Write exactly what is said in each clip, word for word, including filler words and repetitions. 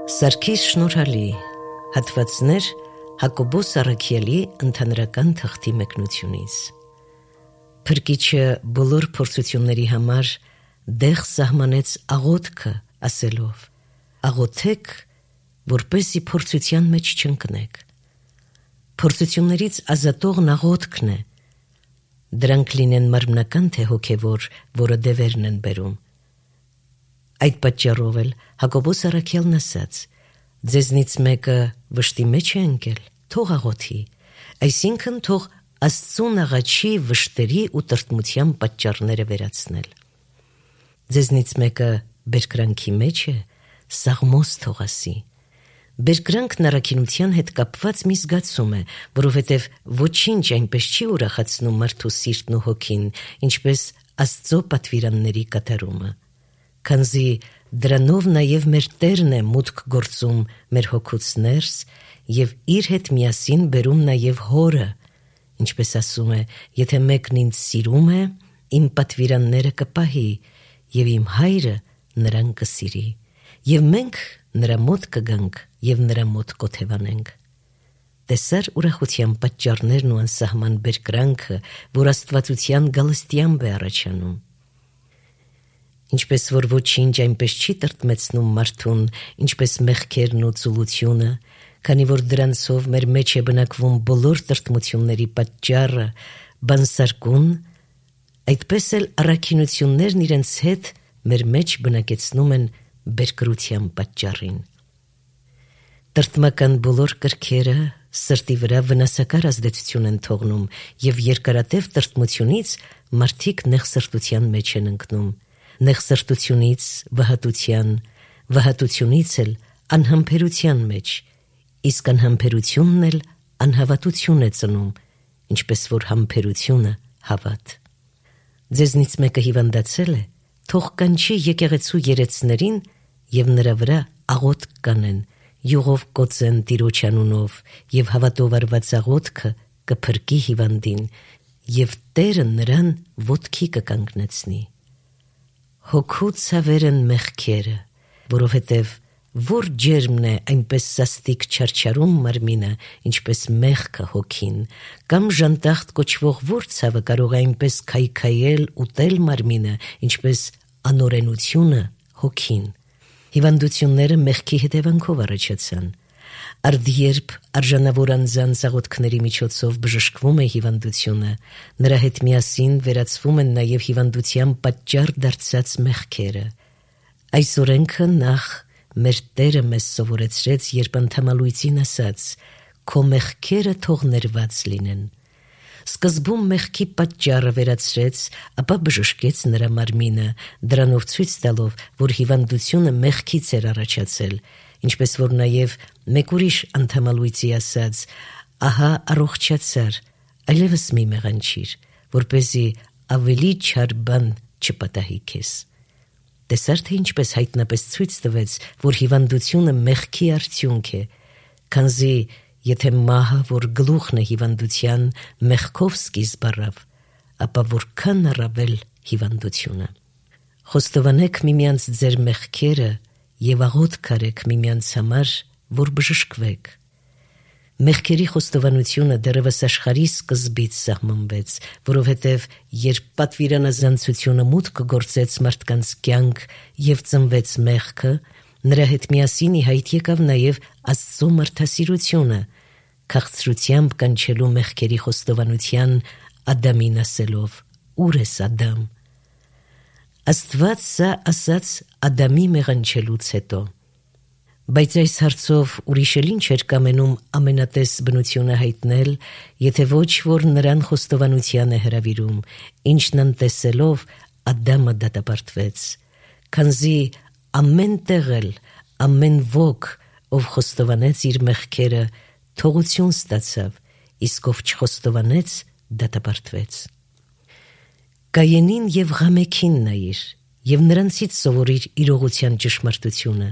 Սարգիս Շնորհալի, հատվածներ Հակոբոս Առաքյալի ընդհանրական թղթի մեկնությունից։ Փրկիչը բոլոր փորձությունների համար դեղ սահմանեց աղոթքը, ասելով. աղոթեք, որպեսզի փորձության մեջ չընկնեք։ Փորձություններից ազատողն աղոթքն է, դրանք լինեն մարմնական թե հոգևոր, որը դևերն են բերում։ Այդ պատճառով էլ Հակոբոս Առաքյալն ասաց. ձեզնից մեկը վշտի մեջ է ընկել, թող աղոթի, այսինքն թող Աստծուն աղաչի վշտերի ու տրտմության պատճառները վերացնել։ Ձեզնից մեկը բերկրանքի մեջ է, սաղմոս թող ասի։ Բերկրանքն առաքինության հետ կապված մի զգացում է, որովհետև ոչինչ այնպես չի ուրախացնում մարդու սիրտն ու հոգին, ինչպես Աստծո պատվիրանների կատարումը։ Քանզի դրանով նաև մեր Տերն է մուտք գործում մեր հոգուց ներս և իր հետ միասին բերում նաև հորը, ինչպես ասում է, եթե մեկն ինձ սիրում է, իմ պատվիրանները կպահի, և իմ հայրը նրան կսիրի, և մենք նրա մոտ կգանք և նրա մոտ կոթևանենք։ Տեսար ուրախության պատճառներն ու անսահման բերկրանքը, որ աստվածության գալստյամբ է առաջանում։ Ինչպես որ ոչինչ այնպես չի տրտմեցնում մարդուն, ինչպես մեղքերն ու ծուլությունը, քանի որ դրանցով մեր մեջ է բնակվում բոլոր տրտմությունների պատճառը, բանսարկուն, այդպես էլ առաքինություններն իրենց հետ մեր մեջ բնակեցնում են բերկրության պատճառին։ Տրտմական բոլոր կրքերը սրտի վրա վնասակար ազդեցություն են թողնում և երկարատև տրտմությունից մարդիկ նեղսրտության մեջ են ընկնում, նեղսրտությունից վհատության, վհատությունից էլ անհամբերության մեջ, իսկ անհամբերությունն էլ անհավատություն է ծնում, ինչպես որ համբերությունը հավատ։ Ձեզնից մեկը հիվանդացել է, թող կանչի եկեղեցու երեցներին և նրա վրա աղոթք կանեն, յուղով կոծեն Տիրոջ անունով, և հավատով արված աղոթքը կփրկի հիվանդին, և Տերը նրան ոտքի կկանգնեցնի։ Հոգու ցավեր են մեղքերը, որովհետև որ ջերմն է այնպես սաստիկ չարչարում մարմինը, ինչպես մեղքը հոգին, կամ ժանտախտ կոչվող որ ցավը կարող է այնպես քայքայել, ուտել մարմինը, ինչպես անօրենությունը հոգին։ Հիվանդությունները մեղքի հետևանքով առաջացան։ Արդ երբ արժանավոր անձանց աղոթքների միջոցով բժշկվում է հիվանդությունը, նրա հետ միասին վերացվում են նաև հիվանդության պատճառ դարձած մեղքերը։ Այս օրենքը նախ մեր Տերը մեզ սովորեցրեց, երբ անդամալույծին ասաց. «Քո մեղքերը թող ներված լինեն»։ Սկզբում մեղքի պատճառը վերացրեց, ապա բժշկեց նրա մարմինը, դրանով ցույց տալով, որ հիվանդությունը մեղքից էր առաջացել, ինչպես որ նաև մեկ ուրիշ անդամալույծի ասաց. «Ահա առողջացար, այլևս մի մեղանչիր, որպեսզի ավելի չար բան չպատահի քեզ»։ Տեսար թե ինչպես հայտնապես ցույց տվեց, որ հիվանդությունը մեղքի արդյունք է, քանզի եթե մահը, որ գլուխն է հիվանդության, մեղքով սկիզբ առավ, ապա որքան առավել հիվանդությունը։ Խոստովանեք միմյանց ձեր մեղքերը և աղոթք արեք միմյանց համար, որ բժշկվեք։ Մեղքերի խոստովանությունը դեռևս աշխարհի սկզբից սահմանվեց, որովհետև երբ պատվիրանազանցությունը մուտք գործեց մարդկանց կյանք և ծնվեց մեղքը, նրա հետ միասին ի հայտ եկավ նաև Աստծո մարդասիրությունը, քաղցրությամբ կանչելու մեղքերի խոստովանության Ադամին ասելով. «Ո՞ւր ես Ադամ»։ Աստված սա ասաց Ադամի մեղանչելուց հետո։ Բայց այս հարցով ուրիշ էլ ինչ էր կամենում ամենատես բնությունը հայտնել, եթե ոչ որ նրան խոստովանության է հրավիրում, ինչն անտեսելով Ադամը դատապարտվեց, քանզի ամեն տեղ էլ ամեն ոք, ով խոստովանեց իր մեղքերը, թողություն ստացավ, իսկ ով չխոստովանեց, դատապարտվեց։ Կայենին և Ղամեքին նայիր և նրանցից սովորիր իրողության ճշմարտությունը։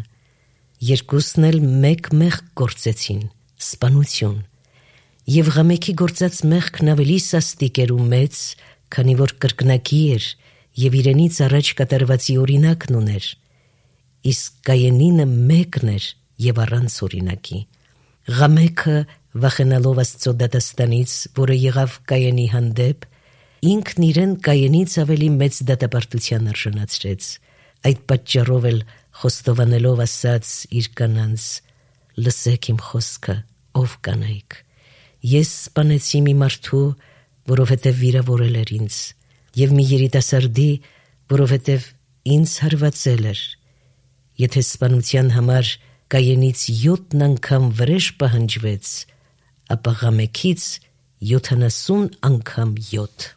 Երկուսն էլ մեկ մեղք գործեցին, սպանություն, և Ղամեքի գործած մեղքն ավելի սաստիկ էր ու մեծ, քանի որ կրկնակի էր և իրենից առաջ կատարվածի օրինակն ուներ, իսկ Կայենինը մեկն էր եւ առանց օրինակի։ Ղամեքը վախենալով Աստծո դատաստանից, որը եղավ Կայենի հանդեպ, ինքն իրեն Կայենից ավելի մեծ դատապարտության արժանացրեց։ Այդ պատճառով էլ խոստովանելով ասաց իր կանանց. «Լսեք իմ խոսքը, ով կանայք, ես սպանեցի մի մարդու, որովհետև վիրավորել էր ինձ, եւ մի երիտասարդի, որովհետև ինձ հարվածել էր։ Եթե սպանության համար Կայենից յոթ անգամ վրեժ պահանջվեց, ապա Ղամեքից յոթանասուն անգամ յոթ»։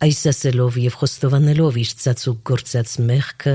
Այս ասելով եւ խոստովանելով իր ծածուկ գործած մեղքը,